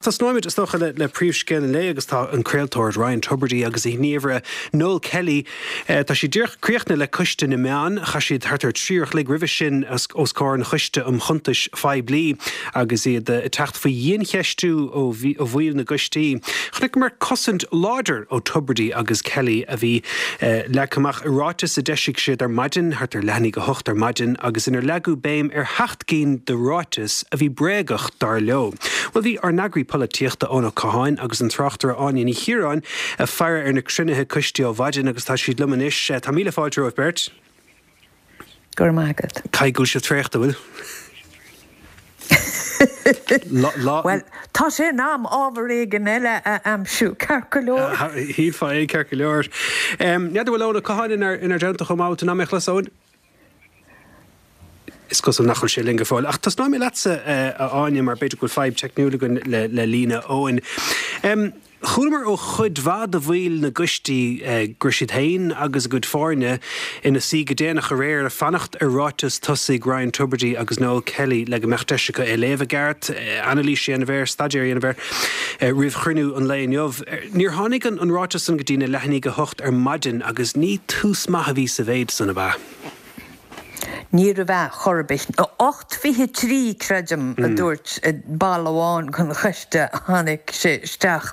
Tosnóimid, is dócha, le príomhscéal an lae agus tá an craoltóir Ryan Tubridy agus a ghníomhaire Noel Kelly, tá siad díreach críochnaithe le Coiste na Meán. Chaith siad thart ar 3 uair a chloig roimhe sin os comhair an Choiste um Chuntais Phoiblí agus iad ag teacht faoi dhiancheistiú ó bhaill na gcoistí. Chonaiceamar cosaint láidir ó Tubridy agus Kelly a bhí leagtha amach i ráiteas a d'eisigh siad ar maidin, thart ar leath i ndiaidh a hocht ar maidin, agus inar leagadh béim ar sheacht gcinn de ráitis a bhí bréagach, dar leo. Bhuel, bhí ár n-eagraí polaitíochta Eoin Ó Catháin agus an tráchtaire Áine Ní Chiaráin ag faire ar na cruinnithe coistí ó mhaidin agus tá siad liom anois. Tá míle fáilte romhaibh beirt. Go raibh maith agat. Caithfidh go bhfuil sibh traochta, bhfuil? Bhuel, tá sé in am ábhar éigin eile a aimsiú, ceart go leor. Shílfeá é, ceart go leor. N'fheadar bhfuil Eoin Ó Catháin inár dteannta chomh maith, bhfuil tú in ann mé a chlos, Eoin? Is cosúil nach bhfuil sé linn go fóill. Ach tosnóidh mé leatsa, a Áine, mar b'fhéidir go bhfuil fadhb teicniúil againn le líne Eoin. Chualamar ó chuid mhaith de bhaill na gcoistí go raibh siad féin agus a gcuid foirne ina suí go déanach aréir ag fanacht ar ráiteas tosaigh Ryan Tubridy agus Noel Kelly le go mbeadh deis acu é a léamh i gceart, anailís a dhéanamh air, staidéar a dhéanamh air roimh chruinniú an lae inniu. Níor tháinig an ráiteas san go dtí na leath i ndiaidh a hocht ar maidin agus ní tús maith a bhí sa mhéid san, ab ea? Níorbh ea chor ar bith. 8:23, creidim, a dúirt ball amháin den choiste a tháinig sé isteach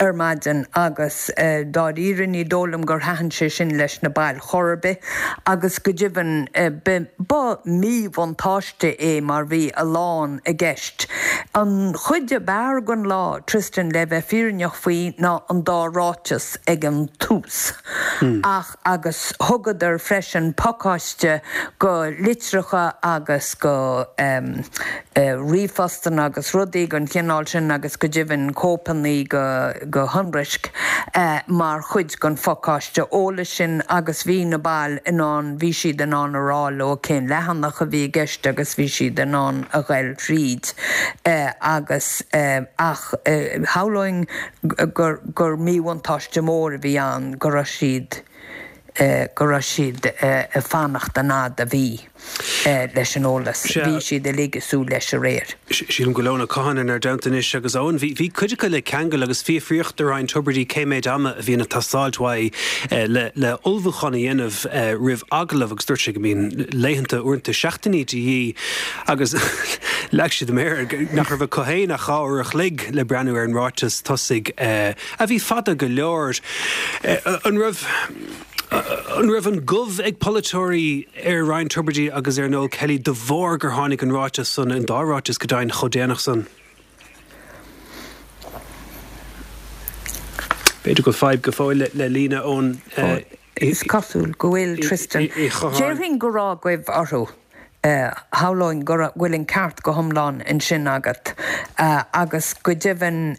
ar maidin agus dáiríre ní dóigh liom gur thaitin sé sin leis na baill chor ar bith agus go deimhin ba mhíbhuntáiste é mar bhí a lán i gceist. An chuid ab fhearr den lá, Tristan, le bheith fírinneach faoi, ná an dá ráiteas ag an tús ach, agus thugadar freisin pacáiste go litreacha agus go ríomhphostanna agus rudaí den chineál sin agus go deimhin cóipeanna go shonraisc mar chuid den phacáiste eolais sin agus bhí na baill in ann, bhí siad in ann a rá leo cén leathanach a bhí i gceist agus bhí siad in ann a ghoil thríd agus ach shamhlóinn gur gur míbhuntáiste mór a bhí ann go raibh siad go raibh siad ag fanacht an fhad a bhí leis an eolas. Bhí siad uilig ag súil leis aréir. Sílim go bhfuil Eoin Ó Catháin inár dteannta anois agus Eoin, bhí bhí cuid acu le ceangal agus fiafraíodh de Ryan Tubridy cé méid ama a bhíonn ag teastáilt uaidh le le ullmhúchán a dhéanamh roimh agallamh agus dúirt sé go mbíonn laethanta, uaireanta seachtainí de dhíth. Agus leag siad a méar air nach raibh acu féin ach 2 uair a chloig le breathnú ar an ráiteas tosaigh, a bhí fada go leor. An raibh an raibh an gomh ag polaiteoirí ar Ryan Tubridy agus ar Noel Kelly de bharr gur tháinig an ráiteas san, an dá ráiteas go deimhin, chomh déanach san? B'fhéidir go bhfuil fadhb go fóill le líne ón. Is cosúil go bhfuil, Tristan. Déarfainn go raibh goimh orthu. Shamhlóinn go bhfuil an ceart go hiomlán ansin agat agus go deimhin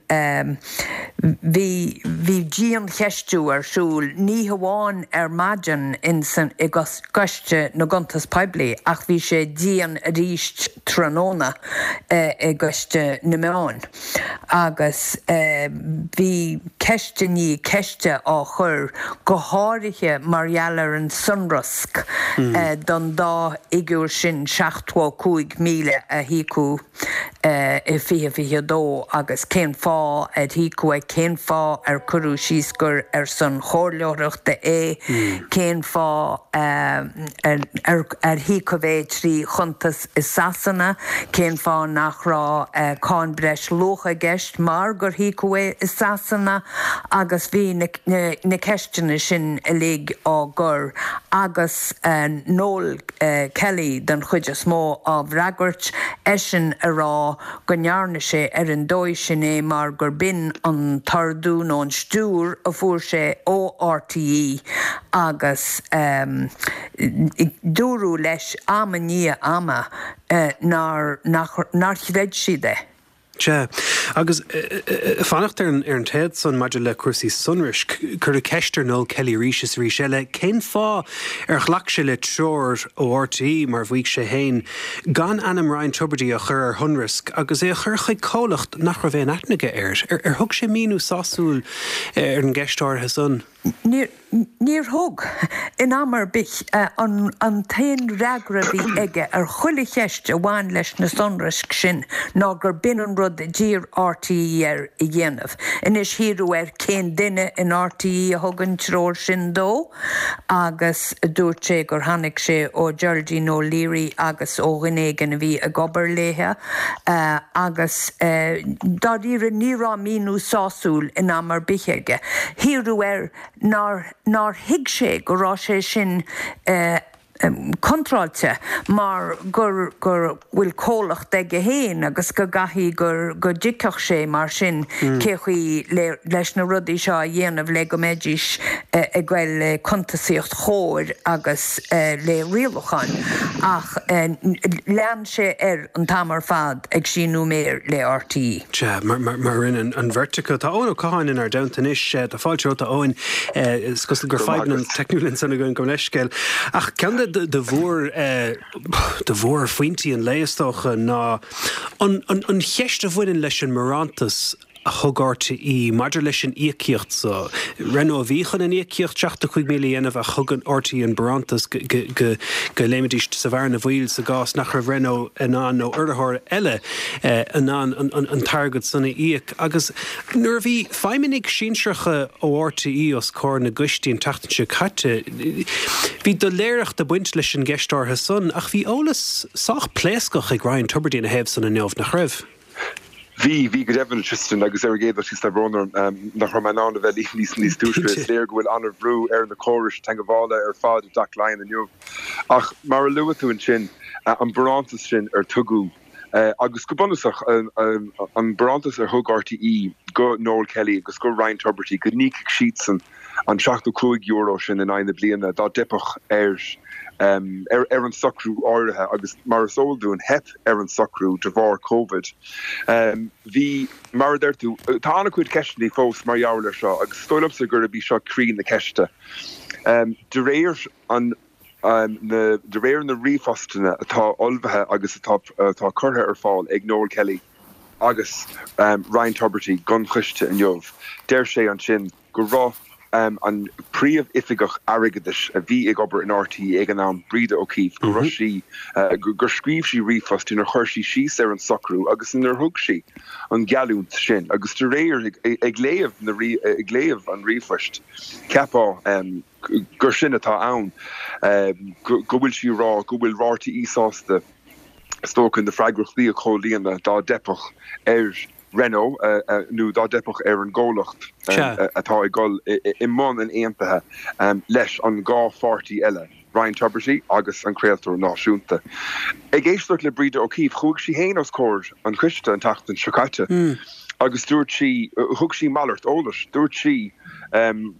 bhí bhí diancheistiú ar siúl, ní hamháin ar maidin insan i gCoiste na gCuntas Poiblí ach bhí sé dian arís tráthnóna i gCoiste na Meán. Agus bhí ceist i ndiaidh ceiste á chur, go háirithe mar gheall ar an sonrasc don dá fhigiúr sin, 75,000 a híocadh i 2022 agus cén fáth ar híocadh é, cén fáth ar cuireadh síos gur ar son chomhairleoireachta é, cén fáth ar híocadh é trí chuntas i Sasana, cén fáth nach raibh cáin breis luacha i gceist mar gur híocadh é i Sasana agus bhí na ceisteanna sin uilig á gcur agus Noel Kelly den chuid is mó á bhfreagairt, eisean ag rá go ndearna sé ar an dóigh sin é mar gur b'in an t-ordú nó an stiúir a fuair sé ó RTÉ agus dúradh leis am i ndiaidh ama nár, nach, nár chreid siad é. Sea. Agus fanacht ar an téad san maidir le cúrsaí sonraisc, cuireadh ceist ar Noel Kelly arís is arís eile cén fáth ar ghlac sé le treoir ó RTÉ, mar a mhaígh sé féin, gan ainm Ryan Tubridy a chur ar shonrasc agus é a chur chuig comhlacht nach raibh aon aithne aige air. Ar thug sé míniú sásúil ar an gceist áirithe san? Níor. Níor thug, in am ar bith. An t-aon fhreagra a bhí aige ar chuile cheist a bhain leis na sonraisc sin ná gur b'in an rud a d'iarr RTÉ air a dhéanamh. Anois hiarradh air cén duine in RTÉ a thug an treoir sin dó agus dúirt sé gur tháinig sé ó Geraldine O'Leary agus ó dhuine éigin a bhí ag obair léithe agus dáiríre ní raibh míniú sásúil in am ar bith aige. Hiarradh air nár nár thuig sé go raibh sé sin contráilte mar gur gur bhfuil comhlacht aige féin agus go gcaithfidh gur go dtuigfeadh sé mar sin cé chaoi le leis na rudaí seo a dhéanamh le go mbeidís ag goil le cuntasaíocht chóir agus le rialúcháin ach lean sé air an t-am ar fad ag síniú méar le RTÉ. Sea, mar a rinne an bheirt acu. Tá Eoin Ó Catháin inár dteannta anois. Tá fáilte romhat, a Eoin. Is cosúil gur fadhbanna teicniúla ansan againn, gabh mo leithscéal. Ach ceann de mhór, de mhórphointí an lae, is dócha, ná an cheist a bhaineann leis an mbarántas a thug RTÉ maidir leis an íocaíocht so. Renault a bhí chun an íocaíocht 75,000 a dhéanamh ach thug an RTÉ an barántas go léimfidís sa bhearna bhaoil sa gcás nach raibh Renault in ann nó urraitheoir eile in ann an t-airgead san a íoc. Agus nuair a bhí feidhmeannaigh sinsearacha ó RTÉ os comhair na gcoistí an tseachtain seo caite, bhí doiléireacht ag baint leis an gceist áirithe san ach bhí eolas sách pléascach ag Ryan Tubridy ina thaobh san inniu, nach raibh? Bhí, bhí go deimhin, Tristan, agus ar an gcéad dul síos tá brón orm nach raibh mé in ann a bheith libh níos níos túisce. Is léir go bhfuil an-bhrú ar na córais teagmhála ar fad i dTeach Laighean inniu. Ach mar a luaigh tú ansin, an barántas sin ar tugadh, agus go bunúsach an barántas ar thug RTÉ go Noel Kelly agus go Ryan Tubridy go n-íocfadh siadsan an €75 sin in aghaidh na bliana dá dteipfeadh ar ar an socrú áirithe agus mar is eol dúinn theip ar an socrú de bharr Covid. Bhí, mar a deir tú, tá an-chuid ceisteanna fós mar gheall air seo agus is dóigh liomsa gurb í seo croí na ceiste. De réir an na de réir na ríomhphostanna atá ullmhaithe agus atá atá curtha ar fáil ag Noel Kelly agus Ryan Tubridy don choiste inniu, deir sé ansin go raibh an príomh-oifigeach airgeadais a bhí ag obair in RTÉ ag an am, Breda O'Keeffe, go raibh sí, gur scríobh sí ríomhphost inar chuir sí síos ar an socrú agus inar thug sí an gheallúint sin agus de réir, ag léamh na, ag léamh an ríomhphoist, cheapfá gur sin atá ann, go bhfuil sí ag rá go bhfuil RTÉ sásta, is dócha, na freagrachtaí a chomhlíonadh dá dteipfeadh ar. Renault nó dá dteipfeadh ar an gcomhlacht atá ag dul i mbun an aontaithe leis an dhá pháirtí eile, Ryan Tubridy agus an craoltóir náisiúnta. Ag éisteacht le Breda O'Keeffe, chuaigh sí féin os comhair an choiste an tseachtain seo caite agus dúirt sí, thug sí malairt eolais, dúirt sí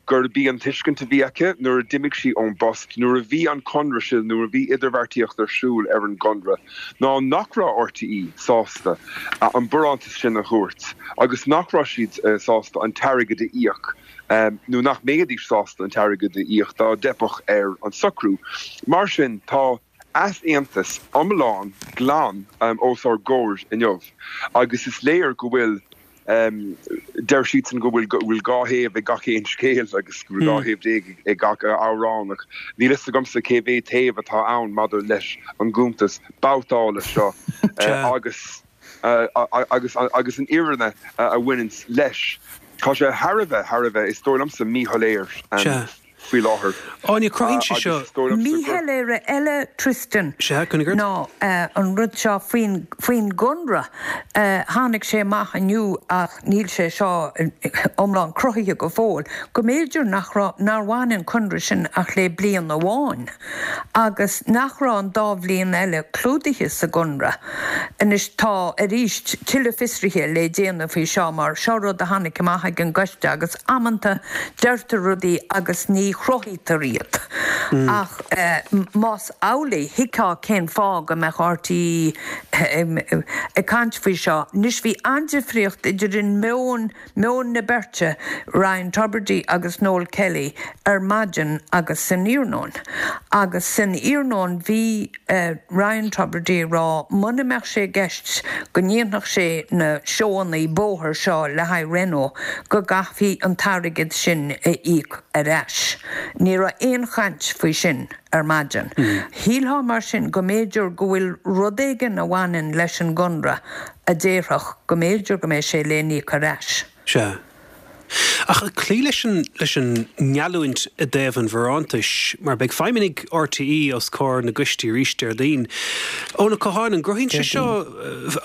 gurb í an tuiscint a bhí aici nuair a d'imigh sí ón bpost, nuair a bhí an conradh sin, nuair a bhí idirbheartaíocht ar siúl ar an gconradh, ná nach raibh RTÉ sásta an barántas sin a thabhairt agus nach raibh siad sásta an t-airgead a íoc nó nach mbeidís sásta an t-airgead a íoc dá dteipfeadh ar an socrú. Mar sin, tá easaontas iomlán glan os ár gcomhair inniu agus is léir go bhfuil Deir siadsan go bhfuil go bhfuil dhá thaobh ag gach aon scéal agus go bhfuil 12 thaobh ag gach amhrán ach níl fhios agamsa cé mhéad taobh atá ann maidir leis an gcuntas babhtála seo agus agus agus an fhírinne a bhaineanns leis. Tá sé thar a bheith, thar a bheith, is dóigh liomsa, míshoiléir. faoi láthair. Áine, cruthaíonn sé seo. Míshoiléire eile, Tristan, ná an rud seo faoin faoin gconradh. Tháinig sé amach inniu ach níl sé seo iomlán cruthaithe go fóill, go mb'fhéidir nach raibh, nár bhain an conradh sin ach le bliain amháin agus nach raibh an dá bhliain eile clúdaithe sa gconradh. Anois tá, arís, tuilleadh fiosraithe le déanamh faoi seo mar seo rud a tháinig amach ag an gcoiste agus amanta deirtear rudaí agus ní. ní chruthaítear iad. Ach más amhlaidh, thuigfeá cén fáth go mbeadh RTÉ ag caint faoi seo. Anois bhí an-difríocht idir an meon, meon na beirte, Ryan Tubridy agus Noel Kelly, ar maidin agus san iarnóin. Agus san iarnóin bhí Ryan Tubridy ag rá muna mbeadh sé i gceist go ndéanfadh sé na seóanna bóthair seo le haghaidh Renault go gcaithfí an t-airgead sin a íoc ar ais. Ní raibh aon chaint faoi sin ar maidin. Shílfeá mar sin go mb'fhéidir go bhfuil rud éigin a bhaineann leis an gconradh a déarfadh go mb'fhéidir go mbeidh sé le n-íoc ar ais. Sea. Ach cloí leis an leis an ngeallúint i dtaobh an bharántais, mar beidh feidhmeannaigh RTÉ os comhair na gcoistí arís Déardaoin. Eoin Ó Catháin, an gcruthaíonn sé seo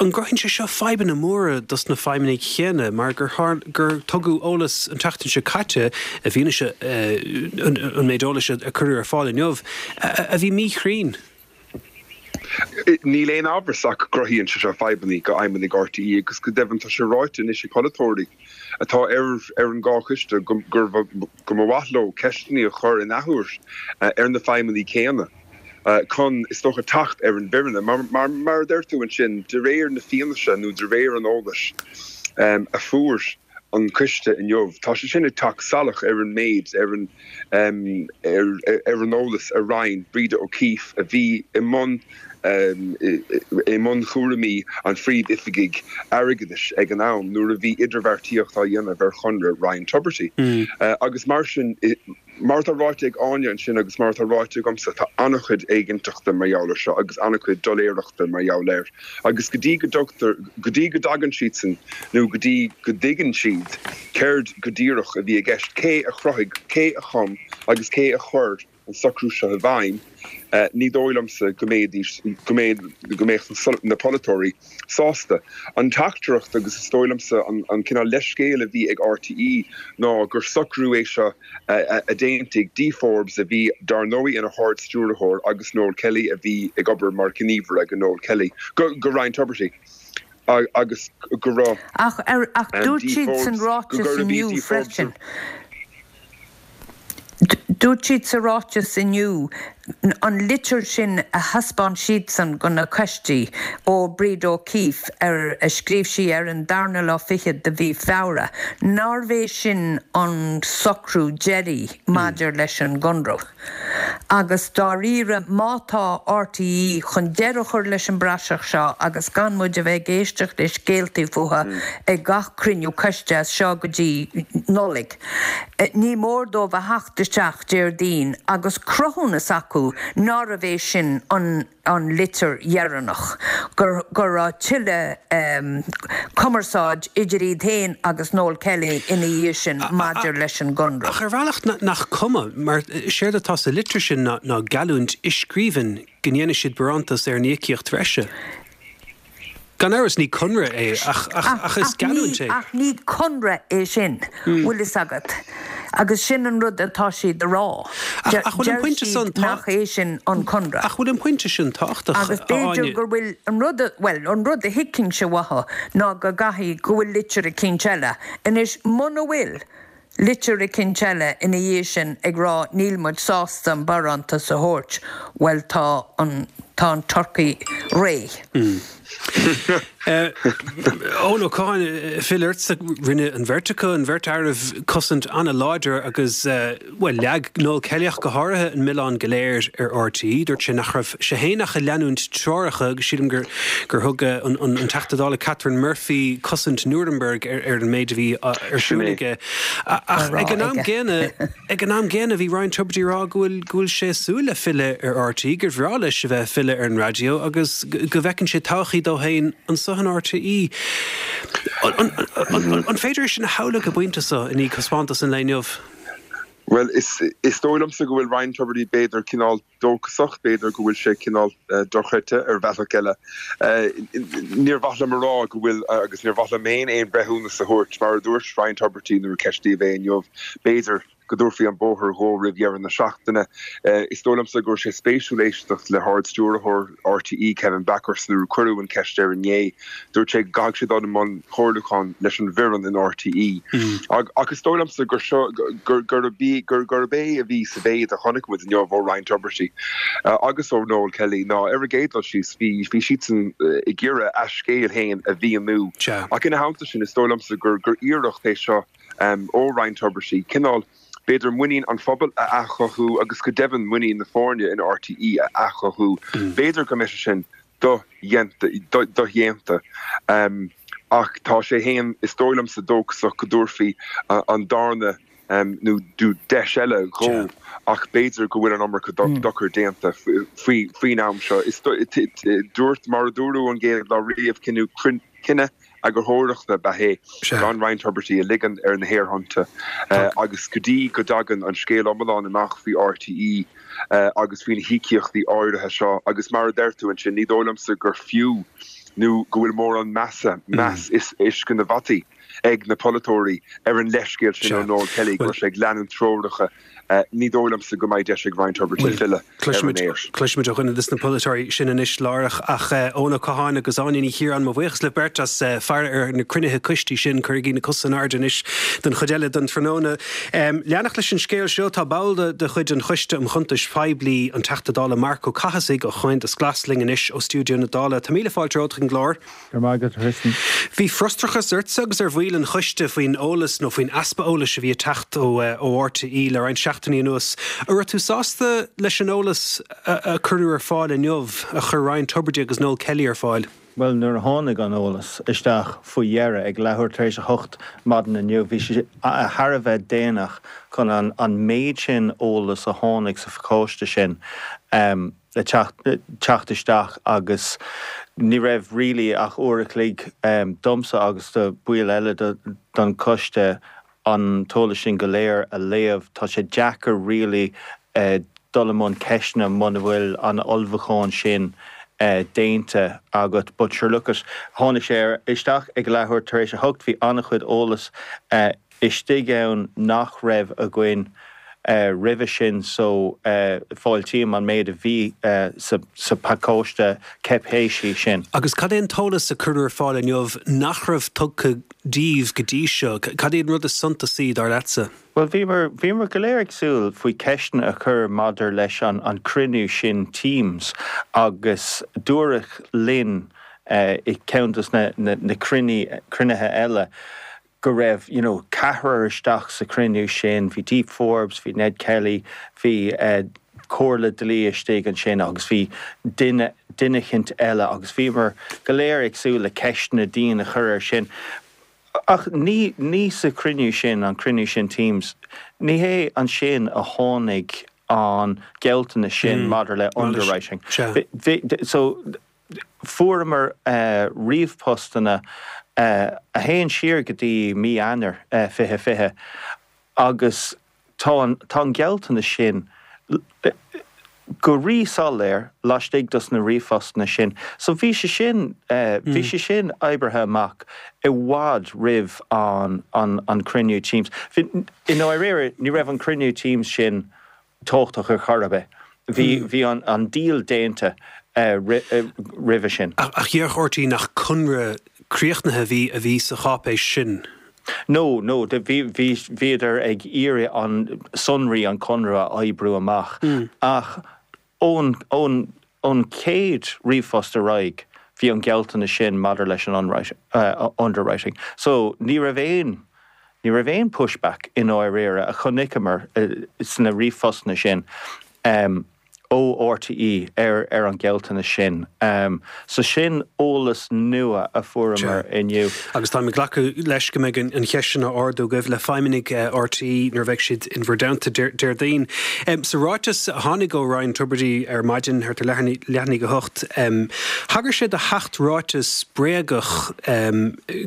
an gcruthaíonn sé seo fadhbanna móra dos na feidhmeannaigh chéanna mar gur gur tugadh eolas an tseachtain seo caite, i bhfianaise an méid eolais a cuireadh ar fáil inniu, a bhí míchruinn? Níl aon amhras ach go gcruthaíonn sé seo fadhbanna do fheidhmeannaigh RTÉ agus go deimhin tá sé ráite anois ag polaiteoirí atá ar ar an dhá choiste go mba mhaith leo ceisteanna a chur in athuair ar na feidhmeannaigh céanna chun, is dócha, teacht ar an bhfírinne. Mar, mar a deir tú ansin, de réir na fianaise nó de réir an eolais a fuair an coiste inniu, tá sé sin ag teacht salach ar an méid, ar an ar an eolas a roinn Breda O'Keeffe, a bhí i mbun i mbun chúraimí an Phríomh-Oifigigh Airgeadais ag an am nuair a bhí idirbheartaíocht á dhéanamh ar chonradh Ryan Tubridy. Agus mar sin, Mar atá ráite ag Áine ansin agus mar atá ráite agamsa, tá an-chuid éiginnteachta mar gheall air seo agus an-chuid doiléireachta mar gheall air. Agus go dtí go dtugtar, go dtí go dtagann siadsan nó go dtí go dtuigeann siad céard go díreach a bhí i gceist, cé a chruthaigh, cé a chum agus cé a chuir an socrú seo i bhfeidhm, ní dóigh liomsa go mbeidís, go mbeidh, go mbeadh na polaiteoirí sásta. An teachtaireacht, agus is dóigh liomsa an cineál leithscéal a bhí ag RTÉ ná gur socrú é seo a d'aontaigh Dee Forbes, a bhí dar ndóigh ina hArd-Stiúrthóir, agus Noel Kelly, a bhí ag obair mar ghníomhaire go Noel Kelly, go Ryan Tubridy, agus go raibh Ach dúirt Dee siad san Forbes, go ráiteas gurb í inniu Dee Forbes freisin. Dúirt siad sa ráiteas inniu an litir sin a thaispeáin siadsan go na coistí ó Breda O'Keeffe ar a scríobh sí ar an darna lá fichead de mhí Feabhra, nárbh é sin an socrú deiridh maidir leis an gconradh. Agus dáiríre, má tá RTÉ chun deireadh a chur leis an bpraiseach seo agus gan muid a bheith ag éisteacht le scéaltaí fúthu ag gach cruinniú coiste as seo go dtí Nollaig, ní mór dóibh a theacht isteach Déardaoin agus cruthúnas acu nárbh é sin an an litir dheireanach, go go raibh tuilleadh cumarsáid idir iad féin agus Noel Kelly ina dhiaidh sin maidir leis an gconradh. Ach ar bhealach nach cuma, mar séard atá sa litir sin ná geallúint i scríbhinn go ndéanfaidh siad barántas ar an íocaíocht bhreise. Gan amhras ní conradh é ach is geallúint é. Ach ní conradh é sin, bhfuil fhios agat, agus sin an rud atá siad a rá. Ach bhfuil an Deir pointe san siad nach é sin an conradh. Ach bhfuil an pointe sin tábhachtach, Agus a b'fhéidir Áine? gur bhfuil an rud, bhuel, an rud a thuigfinnse uathu ná go gcaithfidh, go bhfuil litir eicínt eile. Anois, muna bhfuil, litir eicínt eile ina dhiaidh sin ag rá níl muid sásta an barántas a thabhairt, bhuel tá an, tá an turcaí réidh. Eoin Ó Catháin, filleadh ortsa, rinne an bheirt acu, an bheirt fhearaibh, cosaint an-láidir agus, bhuel, leag Noel Kelly ach go háirithe an milleán go léir ar RTÉ. Dúirt sé nach raibh sé féin ach ag leanúint treoracha agus sílim gur gur thug an Teachta Dála Catherine Murphy cosaint Nuremberg ar an méid a bhí ar siúl aige. Ach ag an am gcéanna, ag an am gcéanna bhí Ryan Tubridy ag rá go bhfuil go bhfuil sé ag súil le filleadh ar RTÉ, gur bhreá leis a bheith ag filleadh ar an raidió agus go bhfeiceann sé todhchaí dó féin anso in RTÉ. An féidir é sin a shamhlú ag an bpointe seo i ndiaidh thaispeántas an lae inniu? Bhuel, is dóigh liomsa go bhfuil Ryan Tubridy b'fhéidir cineál dóchasach, b'fhéidir go bhfuil sé cineál dochreidte ar bhealach eile. Níor mhaith liom a rá go bhfuil, agus níor mhaith liom féin aon bhreithiúnas a thabhairt, mar a dúirt Ryan Tubridy nuair a ceistíodh é inniu, b'fhéidir. Go dtabharfaí an bóthar dhó roimh dheireadh na seachtaine. Is dóigh liomsa go raibh sé spéisiúil éisteacht le hArd-Stiúrthóir RTÉ, Kevin Bakhurst, nuair a cuireadh an cheist air inné. Dúirt sé go gcaithfidh sé dul i mbun comhairliúcháin leis an bhfoireann in RTÉ. Ach is dóigh liomsa gur seo, gurb é a bhí sa mhéid a chonaic muid inniu ó Ryan Tubridy agus ó Noel Kelly ná, ar an gcéad dul síos, bhí siadsan ag iarraidh a scéal féin a mhíniú. Ach ina theannta sin, is dóigh liomsa gur iarracht é seo ó Ryan Tubridy cineál, b'fhéidir, muinín an phobail a athchothú agus go deimhin muinín na foirne in RTÉ a athchothú. B'fhéidir go mbeidh sé sin dodhéanta ach tá sé féin, is dóigh liomsa, dóchasach go dtabharfaí an darna nó deis eile dhó ach b'fhéidir go bhfuil an iomarca dochair déanta faoin am seo. Dúirt, mar a dúradh ón gcéad lá riamh, cinneadh eagarthóireachta ab ea é gan Ryan Tubridy a ligean ar na haerthonnta agus go dtí go dtagann an scéal iomlán amach faoi RTÉ agus faoi na híocaíochtaí áirithe seo agus mar a deir tú ansin, ní dóigh liomsa gur fiú nó go bhfuil mórán measa, meas is uisce na bhfataí ag na polaiteoirí ar an leithscéal sin ó Noel Kelly go raibh sé ag leanúint treoracha Ní dóigh liomsa go mbeidh deis ag Ryan Tubridy filleadh ar an aer. Cloisfimid ó dhuine de na polaiteoirí sin anois láithreach. Ach Eoin Ó Catháin agus Áine Ní Chiaráin, mo bhuíochas libh beirt as faire ar na cruinnithe coistí sin. Cuirigí na cosa in airde anois don chuid eile den tráthnóna. Leanacht leis an scéal seo, tá ball de chuid an Choiste um Chuntais Phoiblí, an Teachta Dála Marc Ó Cathasaigh ó Chomhaontas Glas linn anois ó stiúideo na Dála. Tá míle fáilte romhat chuig an gclár. Go raibh maith agat, a Thristan. Bhí frustrachas ortsa agus ar bhaill an choiste faoin eolas, nó faoin easpa eolais a bhí ag teacht ó RTÉ le roinnt seachtainí anuas. An raibh tú sásta leis an eolas a cuireadh ar fáil inniu, a chuir Ryan Tubridy agus Noel Kelly ar fáil? Bhuel, nuair a tháinig an eolas isteach faoi dheireadh ag leathuair tar éis a hocht maidin inniu, bhí sé thar a bheith déanach chun an méid sin eolas a tháinig sa phacáiste sin le teacht isteach agus ní raibh really ach uair a chloig domsa agus do bhaill eile don choiste an t-eolas sin go léir a léamh. Tá sé deacair really dul i mbun ceisteanna muna bhfuil an ullmhúchán sin déanta agat. But sure look it, tháinig sé isteach ag leathuair tar éis a hocht, bhí an-chuid eolas istigh ann nach raibh againn roimhe sin so fáiltím an méid a bhí sa phacáiste cáipéisí sin. Agus cad é an t-eolas a cuireadh ar fáil inniu nach raibh tugtha daoibh go dtí seo? Cad é an rud is suntasaí, dar leatsa? Bhuel, bhíomar, bhíomar go léir ag súil faoi ceisteanna a chur maidir leis an an cruinniú sin Teams agus dúradh linn i gceann dos na na cruinnithe eile go raibh you know ceathrar isteach sa chruinniú sin, bhí Deep Forbes, bhí Ned Kelly, bhí eh comhairle dlí istigh ansin agus bhí duine, duine eicínt eile agus bhíomar go léir ag súil le ceisteanna dian a chur air sin. Ach ní, ní sa chruinniú sin, an cruinniú sin Teams, ní hé ansin a tháinig an gealltanas sin maidir le underwriting. Bhí, so, Fuaireamar ríomhphostanna a théann siar go dtí mí Eanáir 2020 agus tá an tá an gealltanas sin go rí-soiléir laistigh dos na ríomhphostanna sin. So bhí sé sin bhí sé sin oibrithe amach i bhfad roimh an an cruinniú Teams. I ndáiríre ní raibh an cruinniú Teams sin tábhachtach ar chor ar bith. Bhí, bhí an, an deal déanta roimhe sin. Ach déarfadh RTÉ nach conradh críochnaithe a bhí, a bhí sa cháipéis sin? No, no, bhí, bhí, bhíodar ag iarraidh an, sonraí an conradh a oibriú amach ach ón, ón, ón chéad ríomhphost ar aghaidh bhí an gealltanas sin maidir leis an underwriting. So ní raibh aon, ní raibh aon pushback i ndáiríre a chonaiceamar sna ríomhphostanna sin ó RTÉ ar ar an ghealltanas sin. So sin eolas nua a fuaireamar inniu. Agus táim ag glacadh leis go mbeidh an cheist sin á ardú agaibh le feidhmeannaigh RTÉ nuair a bheidh siad in bhur dteannta Déardaoin. Sa ráiteas a tháinig ó Ryan Tubridy ar maidin, thart ar leath i ndiaidh a hocht, thagair sé do sheacht ráiteas bréagach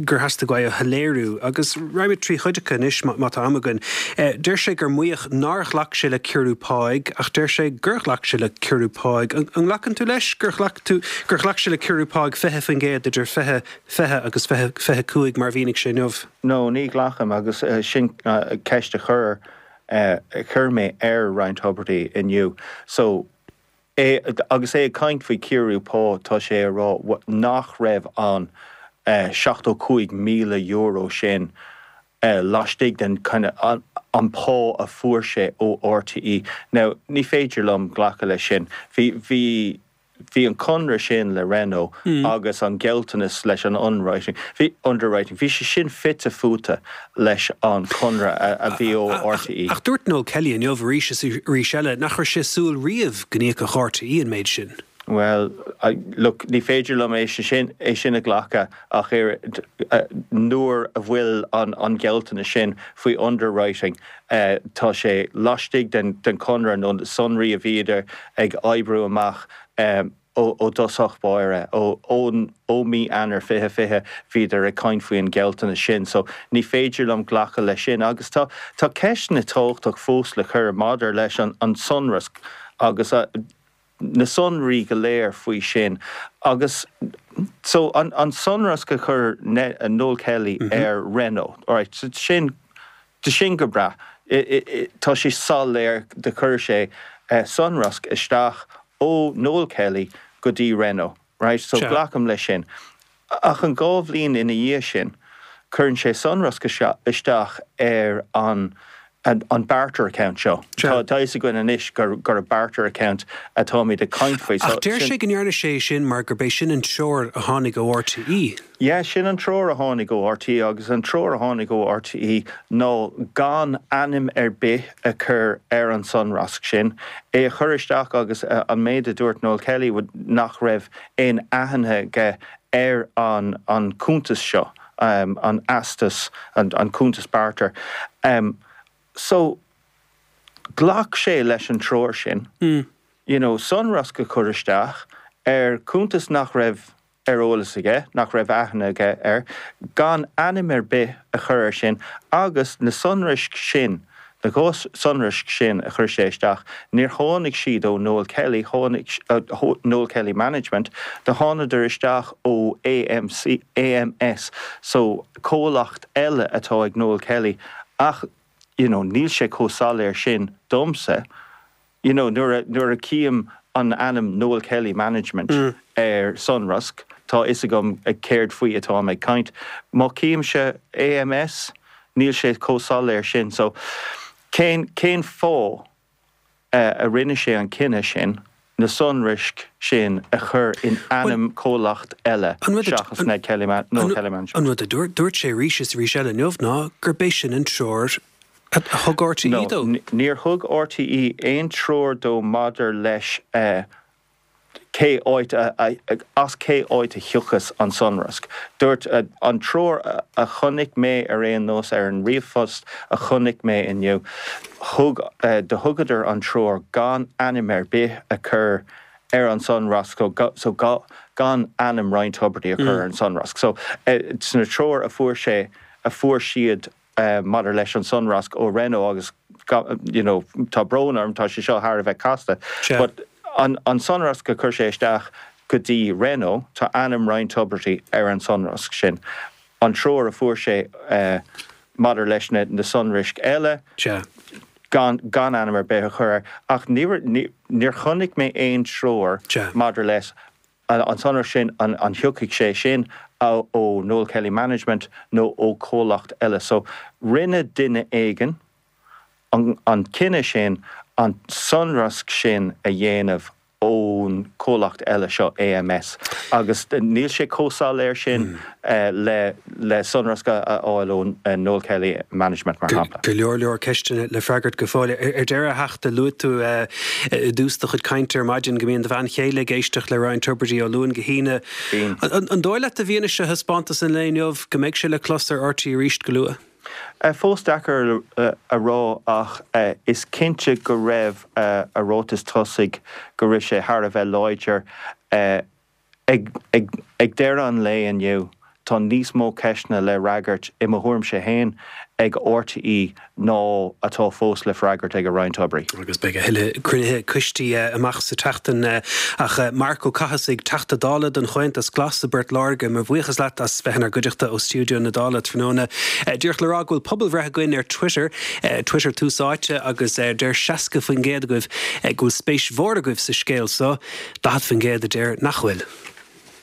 gur theastaigh uaidh a shoiléiriú, agus raghaimid trí chuid acu anois má tá am againn. Deir sé gur maíodh nár ghlac sé le ciorrú páigh, ach deir sé gur ghlac sé le ciorrú páigh. An nglacann tú leis gur ghlac tú, gur ghlac sé le ciorrú páigh 20% idir 2020 agus 2025 mar a mhínigh sé inniu? No, ní ghlacaim, agus sin ceist a chuir. a chuir mé ar Ryan Tubridy inniu. So, é, agus é ag caint faoi chiorrú pá, tá sé ag rá nach raibh an €75,000 sin laistigh den kind of an pá a fuair sé ó RTÉ. Now, ní féidir liom glacadh leis sin. Bhí, bhí, bhí an conradh sin le Renault agus an gealltanas leis an underwriting, bhí, underwriting, bhí sé sin fite fuaite leis an chonradh a bhí ó RTÉ. Ach dúirt Noel Kelly inniu arís is arís eile nach raibh sé ag súil riamh go n-íocfadh RTÉ an méid sin. Bhuel, look, ní féidir liom é sin, é sin a ghlacadh ach oiread nuair a bhfuil an, an gealltanas sin faoi underwriting, tá sé laistigh den, den chonradh nó na sonraí a bhíodar ag oibriú amach ó, ó dtosach báire, ó, ón, ó mí Eanáir 2020 bhíodar ag caint faoi an ghealltanas sin. So ní féidir liom glacadh leis sin agus tá, tá ceisteanna tábhachtach fós le cur maidir leis an, an sonrasc agus a, na sonraí go léir faoi sin agus so an an sonrasc a chuir Noel Kelly ar Renault, alright, so sin sin go breá, tá sé soiléir do chuir sé sonrasc isteach ó Noel Kelly go dtí Renault, right, so glacaim leis sin. Ach an 2 bhliain ina dhiaidh sin, cuireann sé sonrasc isteach ar an an barter account seo. Tá a fhios againn anois gur gur barter account atáimid ag caint faoi. Ach deir sé go ndearna sé sin mar gurb é sin an treoir a tháinig ó RTÉ. Yeah, sin an treoir a tháinig ó RTÉ agus an treoir a tháinig ó RTÉ ná gan ainm ar bith a chur ar an sonrasc sin, é a chur isteach agus an méid a dúirt Noel Kelly nach raibh aon aithne aige ar an an cuntas seo, an eastas, an cuntas barter. So, ghlac sé leis an treoir sin, you know, sonrasc a chur isteach ar chuntas nach raibh ar eolas aige, nach raibh aithne aige air, gan ainm ar bith a chur air sin agus na sonraisc sin Na 2 sonraisc sin a chuir sé isteach, níor tháinig siad ó Noel Kelly, tháinig, Noel Kelly Management, do thánadar isteach ó AMC, AMS, so comhlacht eile atá ag Noel Kelly ach you know níl sé chomh soiléir sin domsa. You know, nuair a, nuair a tchím an ainm Noel Kelly Management ar sonrasc, tá fhios agam céard faoi atáim ag caint. Má tchímse AMS, níl sé chomh soiléir sin. So, cén, cén fáth a rinne sé an cinneadh sin na sonraisc sin a chur in ainm comhlacht eile seachas Ned Kelly, Noel Kelly Management? An rud a dúirt, dúirt sé arís is arís eile inniu ná gurb é sin an treoir a thug RTÉ No, dó. níor thug RTÉ aon treoir dó maidir leis cé áit a, as cé áit a thiocfas an sonrasc. Dúirt, an treoir a chonaic mé ar aon nós ar an ríomhphost a chonaic mé inniu, thug, do thugadar an treoir gan ainm ar bith a chur ar an sonrasc, so gan ainm Ryan Tubridy a chur ar an sonrasc. So, sna treoir a fuair sé, a fuair siad, maidir leis an sonrasc ó Renault agus you know tá brón orm tá sé seo thar a bheith casta but an an sonrasc a chuir sé isteach go dtí Renault tá ainm Ryan Tubridy ar an sonrasc sin. An treoir a fuair sé maidir leis na na sonraisc eile gan gan ainm ar bith a chur air ach níor níor chonaic mé aon treoir maidir leis An sonrasc sin, an thiocfaidh sé sin ó Noel Kelly Management nó ó chomhlacht eile? So, rinne duine éigin an cinneadh sin an sonrasc sin a dhéanamh ón chomhlacht eile seo, AMS, agus níl sé chomh soiléir sin le sonrasc a fháil ó Noel Kelly Management, mar shampla. Go leor leor ceisteanna le freagairt go fóill. Ar deireadh, a Theachta, luaigh tú i dtús do chuid cainte ar maidin go mbíonn do bhean chéile ag éisteacht le Ryan Tubridy ó Luan go hAoine. Bíonn. An dóigh leat, i bhfianaise thaispeántas an lae inniu, go mbeidh sé le clos ar RTÉ arís go luath? Fós deacair a rá ach is cinnte go raibh a ráiteas tosaigh go raibh sé thar a bheith láidir. Ag deireadh an lae inniu. Tá níos mó ceisteanna le fhreagairt, i mo thuairimse féin, ag RTÉ ná atá fós le freagairt ag Ryan Tubridy. Agus beidh a thuilleadh cruinnithe coistí amach sa tseachtain. Ach Marc Ó Cathasaigh, Teachta Dála don Chomhaontas Glas i bPort Láirge, mo bhuíochas leat as bheith inár gcuideachta ó stiúideo na Dála tráthnóna. Díreach le rá go bhfuil pobalbhreith againn ar Twitter, Twitter Tús Áite, agus deir 60% agaibh go bhfuil spéis mhór agaibh sa scéal so, 40% a deir nach bhfuil.